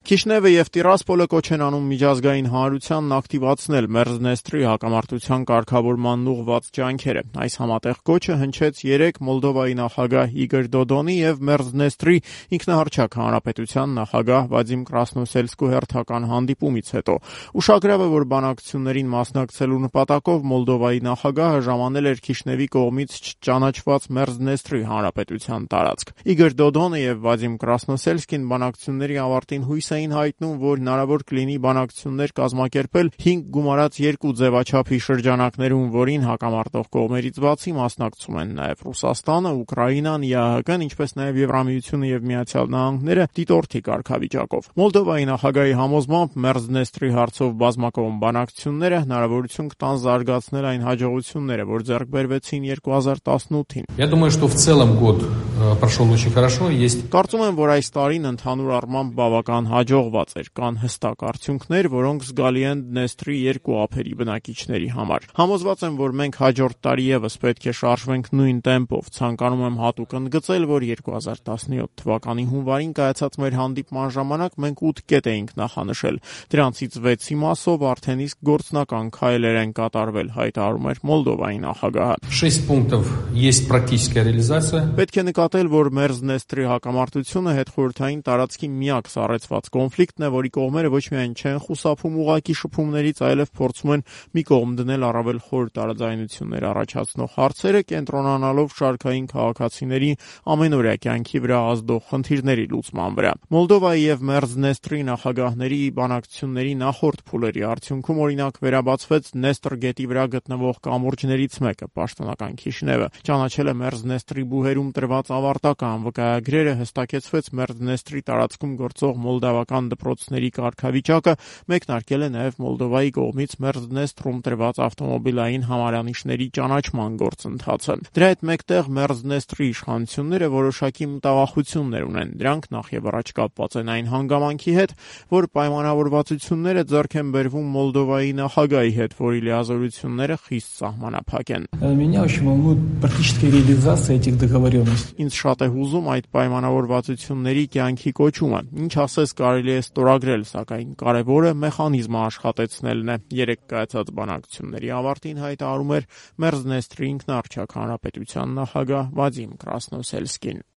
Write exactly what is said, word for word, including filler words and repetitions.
Քիշնևը եւ Տիրասպոլը կոչ են անում միջազգային հանրությանն ակտիվացնել Մերձնեստրի հակամարտության կարգավորմանն ուղղված ջանքերը։ Այս համատեղ կոչը հնչեց երեկ Մոլդովայի նախագահ Իգոր Դոդոնի եւ Մերձնեստրի ինքնահռչակ հանրապետության նախագահ Վադիմ Կրասնոսելսկու հերթական հանդիպումից հետո։ Ուշագրավ է, որ բանակցություններին մասնակցելու նպատակով Մոլդովայի նախագահը ժամանել էր Քիշնևի կողմից չճանաչված Մերձնեստրի հանրապետության տարածք։ Իգոր Դոդոնը եւ Վադիմ Կրասնոսելսկին բանակցությունների ավարտին հույս էին հայտնում, որ հնարավոր կլինի բանակցություններ կազմակերպել հինգ գումարած երկու ձևաչափի շրջանակներում, որին հակամարտող կողմերից բացի մասնակցում են նաև Ռուսաստանը, Ուկրաինան, ԵԱՀԿ-ն, ինչպես նաև Եվրամիությունը եւ Միացյալ Նահանգները դիտորդի կարգավիճակով։ Մոլդովայի նախագահի համոզմամբ Մերձնեստրի հարցով բազմակողմ բանակցությունները հնարավորություն կտան զարգացնել այն հաջողությունները, որ ձեռք բերվեցին երկու հազար տասնութին։ Я думаю, что в целом год прошел очень хорошо, есть. Կարծում եմ, որ այս տարին ընդհանուր առմամբ բավական հաջողված էր, կան հստակ արդյունքներ, որոնք զգալի են Դնեստրի երկու ափերի բնակիչների համար։ Համոզված եմ, որ մենք հաջորդ տարի եւս պետք է շարժվենք նույն տեմպով։ Ցանկանում եմ հատուկ ընդգծել, որ երկու հազար տասնյոթ թվականի հունվարին կայացած մեր հանդիպման ժամանակ մենք ութ կետ էինք նախանշել։ Դրանցից վեցի մասով արդեն իսկ գործնական քայլեր են կատարվել, հայտարարում էր Մոլդովայի նախագահը։ шесть пунктов есть практическая реализация. Պետք է նկատել, որ Մերձնեստրի հակամարտությունը հետխորհրդային տարածքի միակ սառեցված կոնֆլիկտն է, որի կողմերը ոչ միայն չեն խուսափում ուղակի շփումներից, այլև փորձում են մի կողմ դնել առավել խոր տարաձայնություններ առաջացնող հարցերը, կենտրոնանալով շարքային քաղաքացիների ամենօրյա կյանքի վրա ազդող խնդիրների լուծման վրա։ Մոլդովայի եւ Մերձնեստրի նախագահների բանակցությունների նախորդ փուլերի արդյունքում օրինակ վերաբացվեց Նեստր գետի վրա գտնվող կամուրջներից մեկը, պաշտոնական Քիշնևը ճանաչել է Մերձնեստրի բուհերում տրված ավարտական վկայագրերը, հստակեցվեց Մերձնեստրի տարածքում գործող մոլդավական դպրոցների կարգավիճակը, մեկնարկել է նաև Մոլդովայի կողմից Մերձնեստրում տրված ավտոմոբիլային համարանիշների ճանաչման գործընթացը։ Դրա հետ մեկտեղ Մերձնեստրի իշխանությունները որոշակի մտավախություններ ունեն։ Դրանք նախ եւ առաջ կապված են այն հանգամանքի հետ, որ պայմանավորվածությունները ձեռք են բերվում Մոլդովայի նախագահի հետ, որի լիազորությունները խիստ սահմանափակ են։ Меня очень волнует практическая реализация этих договоренностей. Ինձ շատ է հուզում այդ պայմանավորվածությունների կյանքի կոչումը։ Ինչ ասես կարելի է ստորագրել, սակայն կարևորը մեխանիզմը աշխատեցնելն է։ Երեք կայացած բանակցությունների ավարտին հայտարարում էր Մերձնեստրի ինքնահռչակ հանրապետության նախագահ Վադիմ Կրասնոսելսկին։